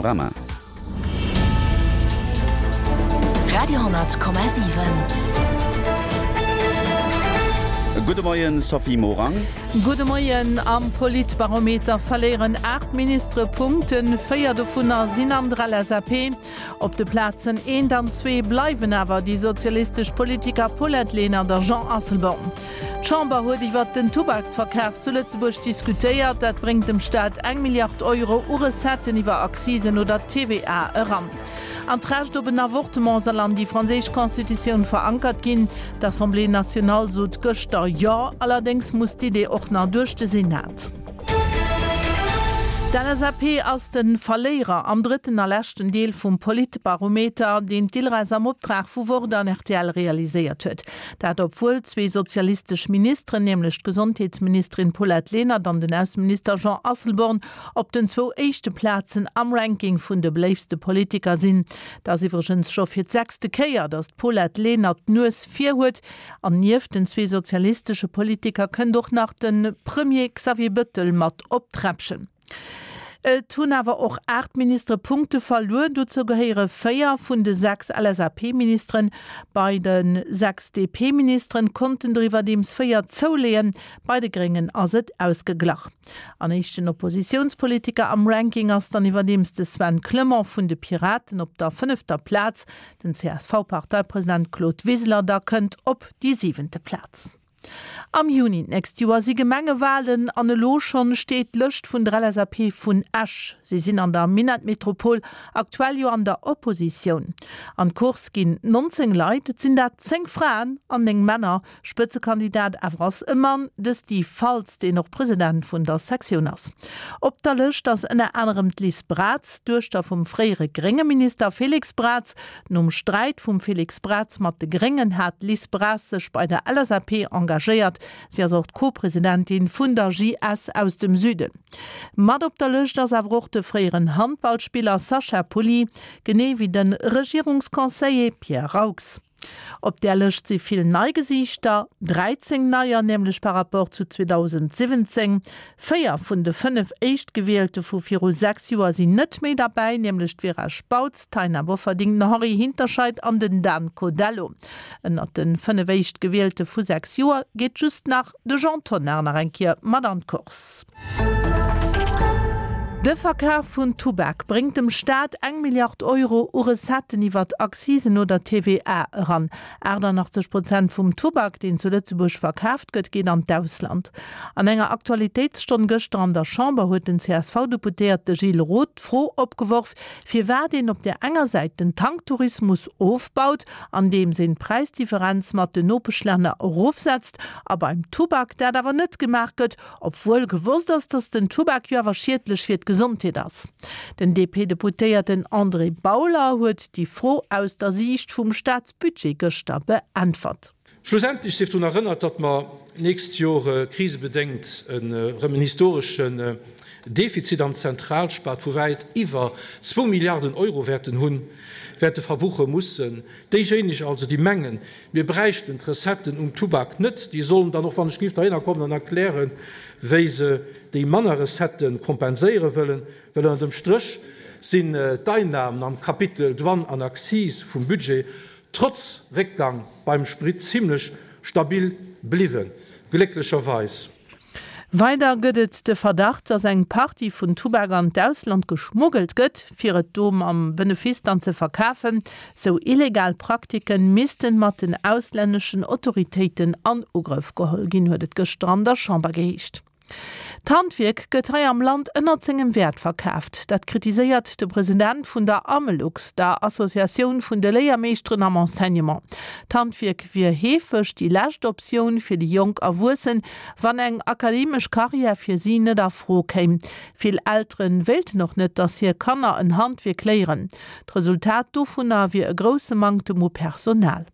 Panorama. Radio,7. Gudde Moien, Sophie Morang. Gudde Moien. Am Politbarometer verléieren 8 Ministere Punkten, 4 dovunner sinn an der LSAP. Op de Plazen eent an zwee bleiwen awer déi sozialistesch Politiker Paulette Lenert a Jean Asselborn. D'Chamber huet iwwert den Tubaksverkaf zu Lëtzebuerg diskutéiert. Dat bréngt dem Staat eng Milliard Euro u Recetten iwwer Accisen oder TVA eran. An d'Recht op en Avortement soll an déi franséisch Constitutioun verankert ginn. D'Assemblée nationale sot gëschter Jo, allerdéngs muss d'Idee och nach duerch de Senat. D'LSAP ass de Verléierer am drëtten a leschten Deel vum Politbarometer, deen d'ILRES am Optrag vu Wort an rtl realiséiert huet. Dat obwuel zwee sozialistesch Ministeren, nämlech d'Gesondheetsministerin Paulette Lenert an den Ausseminister Jean Asselborn, op den zwou éischte Plazen am Ranking vun de beléiftste Politiker sinn. Et ass iwwregens scho fir d'sechste Kéier, datt d'Paulette Lenert d'Nues vir huet. An nieft den zwee sozialistesche Politiker kënnt och nach de Premier Xavier Bëttel mat op d'Träppchen. Et hunn awer och 8 Ministere Punkte verluer. Dozou gehéiere 4 vun de 6 LSAP-Ministeren. Bei de 6 DP-Ministeren konnten der iwwerdeems 4 zouleeën. Bei de Gréngen ass et ausgeglach. An éischten Oppositiounspolitiker am Ranking ass dann iwwerdeems de Sven Clement vun de Piraten op der fënnefter Plaz. Den CSV-Parteipresident Claude Wiseler da kënnt op déi siwente Plaz. Am Juni d'nächst Joer si Gemengewalen an elo schonn steet d'Lëscht vun der LSAP vun Esch. Si sinn an der Minettmetropol aktuell jo an der Oppositioun. An d'Course ginn 19 Leit, et sinn dat 10 Fraen an 9 Männer. Spëtzekandidat awer ass e Mann, de Steve Faltz, deen och President vun der Sektioun ass. Op der Lëscht ass ënner anerem d'Liz Braz, d'Duechter vum fréiere grénge Minister Félix Braz, Nom Sträit vum Félix Braz mat de Gréngen hat d'Liz Braz sech bei der LSAP engagéiert. Si ass och d'Co-Presidentin vun der JS aus dem Süden. Mat op der Lëscht ass awer och de fréieren Handballspiller Sacha Pulli, genee wéi de Regierungsconseiller Pierre Raux. Op där Lëscht si vill nei Gesiichter, 13 neier nämlech par rapport zu 2017. Véier vun de 5 Éischtgewielte vu viru 6 Joer sinn net méi derbäi, nämlech d'Vera Spautz, d'Taina Bofferding, den Henri Hinterscheid an den Dan Codello. Ënnert de 5 Éischtgewielte vu 6 Joer geet just nach de Jean Tonnar nach eng Kier mat an d'Course. De Verkaf vun Tubak bréngt dem Staat eng Milliard Euro u Recetten iwwert Accisen oder TVA eran. 88 Prozent vum Tubak, deen zu Lëtzebuerg verkaaft gëtt, geet an d'Ausland. An enger Aktualitéitsstonn gëschter an der Chamber huet den CSV-Deputéierte Gilles Roth d'Fro opgeworf, firwat een op där enger Säit den Tanktourismus ofbaut, andeems een d'Präisdifferenz mat den Nopeschlänner erofsetzt, a beim Tubak dat awer net gemaach gëtt, obwuel gewosst ass, datt den Tubak jo awer schiedlech fir d'Gesondheet ass. Den DP-Deputéierten André Bauler huet déi Fro aus der Siicht vum Staatsbudget gëschter beäntwert. Schlussendlech sief drun erënnert, datt mer d'nächst Jor krisebedéngt erëm en historeschen Defizit am Zentralspat vu wäit iwwer zwou Milliarden Euro wäerten hunn, wäerte verbuche mussen. Déijéineg also, déi mengen, mir bräichten d'Recetten um Tubak net, déi sollen dann och wann ech géif derhinner kommen an erklären, wéi se déi manner Recettë kompenséiere wëllen, well ënner dem Stréch sinn d'Einnahmen am Kapitel Douane an Accise vum Budget trotz Réckgang beim Sprit zimlech stabil bliwwen, glécklecherweis. Weider gëtt et de Verdacht, datt eng Partie vun Tubak an d'Ausland geschmuggelt gëtt, fir et do mam Benefice dann ze verkafen. Sou illegal Praktike missten mat den auslänneschen Autoritéiten an Ugrëff geholl ginn, huet et gëschter an der Chamber geheescht. D'Handwierk gëtt hei am Land ënnert sengem Wäert verkaaft. Dat kritiséiert de President vun der Amelux, der Associatioun vun de Léiermeeschteren am Enseignement. D'Handwierk wier heefeg déi lescht Optioun fir déi jonk Erwuessen, wann eng akademesch Karriär fir si net a Fro kéim. Vill Eltere wéilten och net, datt hir Kanner en Handwierk léieren. D'Resultat dovunner wier e grousse Manktem u Personal.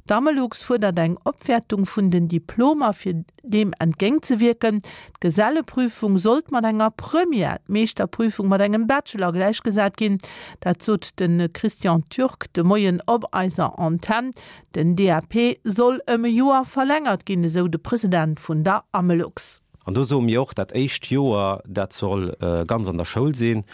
D'Amelux fuerdert eng Opwäertung vun den Diplomer fir Deem entgéintzewierken, d'Geselleprüfung sollt mat enger Première, d'Meeschterprüfung mat engem Bachelor gläichgesat ginn. Dat sot de Christian Türk de Moien op eiser Antenn. Den DAP soll ëm e Joer verlängert ginn, esou de President vun der Amelux. An do soe mir och, dat éischt Joer, dat soll ganz an der Schoul sinn.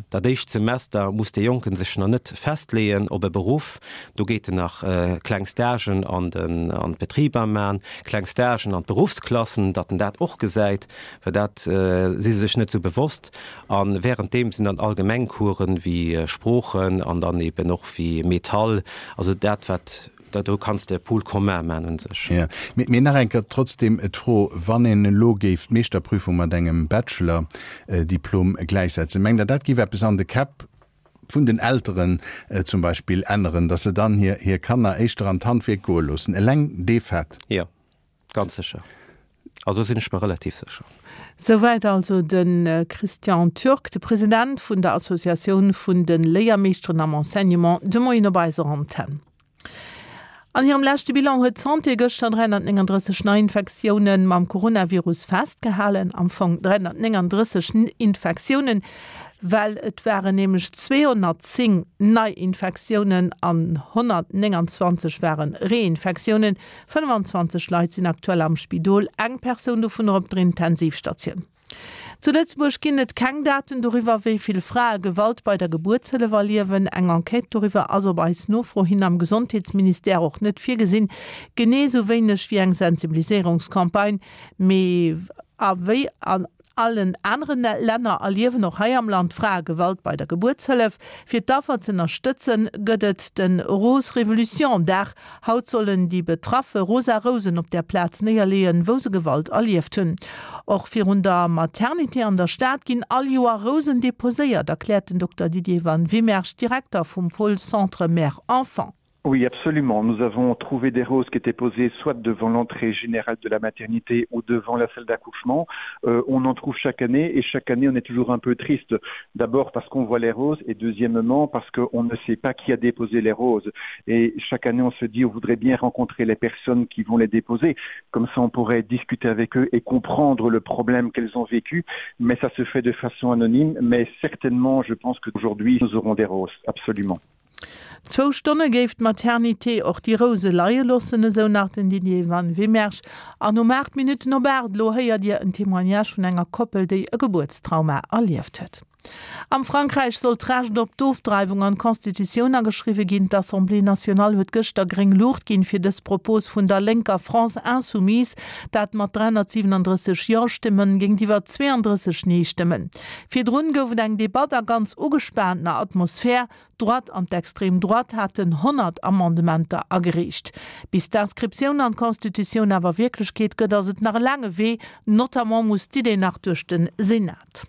Dat éischt Semester muss dee Jonke sech nach net festleeën op e Beruff. Do geet en nach kleng Stagen an d'Betriber man, kleng Stagen an d'Beruffsklassen, datt en dat och gesäit, well dat si se sech net esou bewosst. A wärenddeem sinn dann allgemeng Coursen wéi Sproochen an dann eben och wéi Metall, also dat wat Da do kanns de e Pool commun man un sech. Jo, mee nach eng Kéier trotzdem d'Fro, Wann een elo géif d'Meeschterprüfung mat engem Bachelor-Diplom gläichsetzen, mengt Der, dat géif eppes an de Käpp vun den Elteren zum Beispill änneren, datt se dann hir Kanner éischter an d'Handwierk goe loossen, eleng dee Fait? Jo, ganz sécher. Also do sinn ech mer relativ sécher. Souwäit also de Christian Türk, de President vun der Associatioun vun de Léiermeeschteren am Enseignement, de Moien op eiser Antenn. An hirem leschte Bilan huet d'Santé gëschter 339 Neiinfektioune mam Coronavirus festgehalen. Am Fong 339 Infektiounen, well et waren nämlech 210 Neiinfektiounen an 129 ware Reinfektiounen. 25 Leit sinn aktuell am Spidol, eng Persoun dovunner op der Intensivstatioun. Zu Lëtzebuerg ginn et keng Daten doriwwer, wéi vill Frae Gewalt bei der Gebuertshëllef erliewen. Eng Enquête doriwwer ass op eis Nofro hin am Gesondheetsministère och net virgesinn, genee sou wéineg wéi eng Sensibiliséierungscampagne. Mee a wéi an allen anere Länner erliewen och hei am Land Frae Gewalt bei der Gebuertshëllef. Fir d'Affer z'ënnerstëtzen, gëtt et de Rose Révolution Dag. Haut sollen déi Betraffe rosa Rousen op där Plaz néierleeën, wou se Gewalt erlieft hunn. Och virun der Maternité an der Stad ginn all Joer Rousen deposéiert, erkläert den Dokter Didier Van Wymersch, Direkter vum Pôle Centre Mère-Enfant. Oui, absolument. Nous avons trouvé des roses qui étaient posées soit devant l'entrée générale de la maternité ou devant la salle d'accouchement. Euh, on en trouve chaque année et chaque année on est toujours un peu triste. D'abord parce qu'on voit les roses et deuxièmement parce qu'on ne sait pas qui a déposé les roses. Et chaque année on se dit on voudrait bien rencontrer les personnes qui vont les déposer. Comme ça on pourrait discuter avec eux et comprendre le problème qu'elles ont vécu. Mais ça se fait de façon anonyme. Mais certainement je pense qu'aujourd'hui nous aurons des roses, absolument. Zwou Stonne géif d'Maternité och déi Rouse leie loossen, esou nach den Didier Van Wymersch. An um 8 Minutten op 8 elo héiert Dir en Témoignage vun enger Koppel, déi e Gebuertstrauma erlieft huet. Am Frankräich soll d'Recht op d'Ofdreiwung an d'Constitutioun ageschriwwe ginn. D'Assemblée nationale huet gëschter gréng Luucht ginn fir dës Propos vun der lénker France Insoumise, dat mat 337 Jo-Stimmen géintiwwer 32 Nee-Stëmmen. Virdrun gouf et eng Debatt a ganz ugespaantener Atmosphär. D'Droite an d'Extrême Droite haten 100 Amendementer agereecht. Bis d'Inscriptioun an d'Constitutioun awer Wierklechkeet gëtt, ass et nach e laange Wee, notamment muss d'Idee nach duerch de Senat.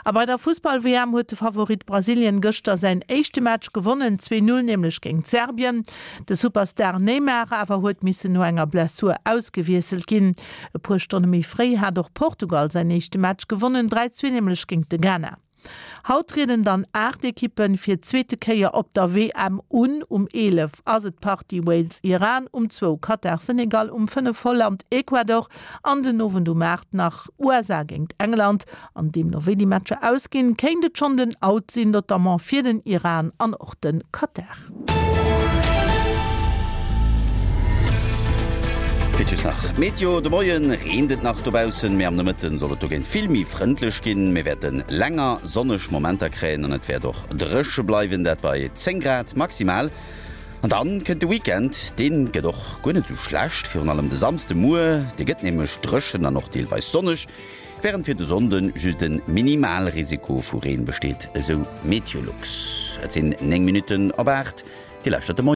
A bei der Fussball-WM huet de Favorit Brasilien gëschter säin éischte Match gewonnen, 2, 0 nämlech géint Serbien. De Superstar Neymar awer huet missen no enger Blessur ausgewiesselt ginn. E puer Stonne méi fréi hat och Portugal säin éischte Match gewonnen, 3, 2 nämlech géint de Ghana. Haut trieden dann 8 Ekippen fir d'zweete Kéier op der WM un. Um 11 ass et d'Partie Wales-Iran, um zwou Katar-Senegal, um 5 Holland-Ecuador an den Owend um 8 nach USA géint England. An deemno wéi déi Matcher ausginn, kéint et schonn den Out sinn, notamment fir den Iran an och de Katar. Fir just nach d'Meteo, De Moien reent et nach dobaussen, mee am Nomëtten soll et dogéint vill méi frëndlech ginn. Mir wäerte länger sonneg Momenter kréien an et wäert och dréche bleiwen, dat bei 10 Grad maximal. An dann kënnt de Weekend, deen gëtt och guer net sou schlecht, virun allem de Samsde Muer, dee gëtt nämlech dréchen an och deelweis sonneg, wärend fir de Sonnde just e Minimalrisiko vu Reen besteet, esou Meteolux. Et sinn 9 Minutten op 8, Dir lauschtert de Moien.